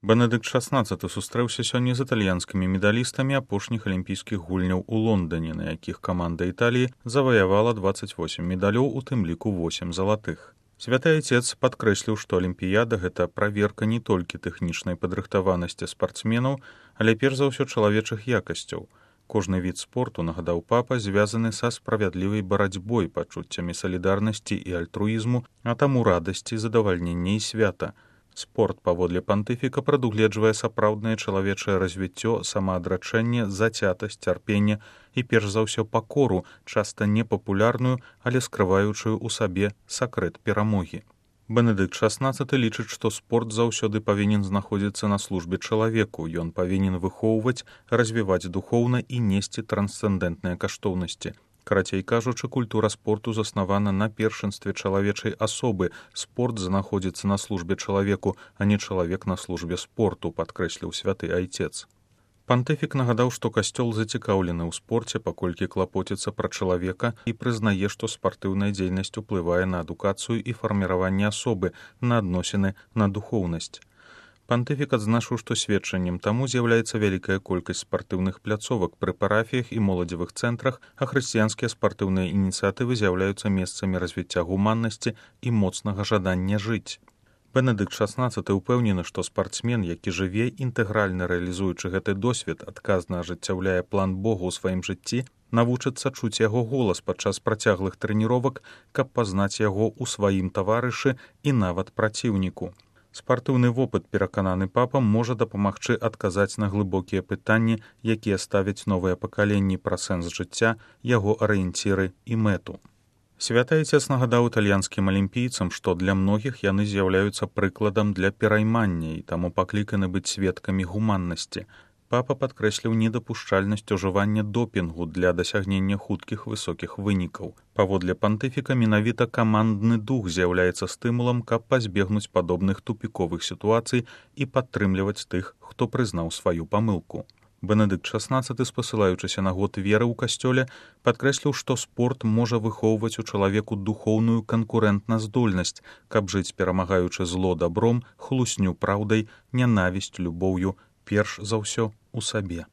Бенедыкт XVI сустрэўся сёння з італьянскімі медалістамі апошніх алімпійскіх гульняў у Лондоне, на якіх каманда Італіі заваявала 28 медалёў, у тым ліку 8 залатых. Святы Айцец падкрэсліў, што алімпіяда — гэта праверка не толькі тэхнічнай падрыхтаванасці спартсменаў, але перш за ўсё чалавечых якасцяў. Кожны від спорту, нагадаў папа, звязаны са справядлівай барацьбой, пачуццямі салідарнасці і альтруізму, а таму радасці, задавальнення і свята. Спорт, паводле пантыфіка, прадугледжвае сапраўднае чалавечае развіццё, самаадрачэнне, зацятасць, цярпенне і перш за ўсё пакору, часта непапулярную, але скрываючую ў сабе сакрэт перамогі. Бенедыкт XVI лічыць, што спорт заўсёды павінен знаходзіцца на службе чалавеку, ён павінен выхоўваць, развіваць духоўна і несці трансцэндэнтныя каштоўнасці. Карацей кажучы, культура спорту заснавана на першынстве чалавечай асобы. Спорт знаходзіцца на службе чалавеку, а не чалавек на службе спорту, падкрэсліў святы Айцец. Пантыфік нагадаў, што касцёл зацікаўлены ў спорце, паколькі клапоціцца пра чалавека і прызнае, што спартыўная дзейнасць уплывае на адукацыю і фарміраванне асобы, на адносіны, на духоўнасць. Пантыфік адзначыў, што сведчаннем таму з'яўляецца вялікая колькасць спартыўных пляцовак пры парафіях і моладзевых цэнтрах, а хрысціянскія спартыўныя ініцыятывы з'яўляюцца месцамі развіцця гуманнасці і моцнага жадання жыць. Бенедыкт XVI ўпэўнены, што спартсмен, які жыве, інтэгральна рэалізуючы гэты досвед, адказна ажыццяўляе план Бога ў сваім жыцці, навучыцца чуць яго голас падчас працяглых трэніровак, каб пазнаць яго ў сваім таварышы і нават праціўніку. Спартыўны вопыт, перакананы папа, можа дапамагчы адказаць на глыбокія пытанні, якія ставяць новыя пакаленні пра сэнс жыцця, яго арыенціры і мэту. Святы Айцец нагадаў італьянскім алімпійцам, што для многіх яны з'яўляюцца прыкладам для пераймання і таму пакліканы быць сведкамі гуманнасці. Папа падкрэсліў недапушчальнасць ужывання допінгу для дасягнення хуткіх высокіх вынікаў. Паводле пантыфіка, менавіта камандны дух з'яўляецца стымулам, каб пазбегнуць падобных тупіковых сітуацый і падтрымліваць тых, хто прызнаў сваю памылку. Бенедыкт XVI, спасылаючыся на год веры ў касцёле, падкрэсліў, што спорт можа выхоўваць у чалавеку духоўную канкурэнтназдольнасць, каб жыць, перамагаючы зло дабром, хлусню праўдай, нянавісць любоўю, перш за ўсё у сабе.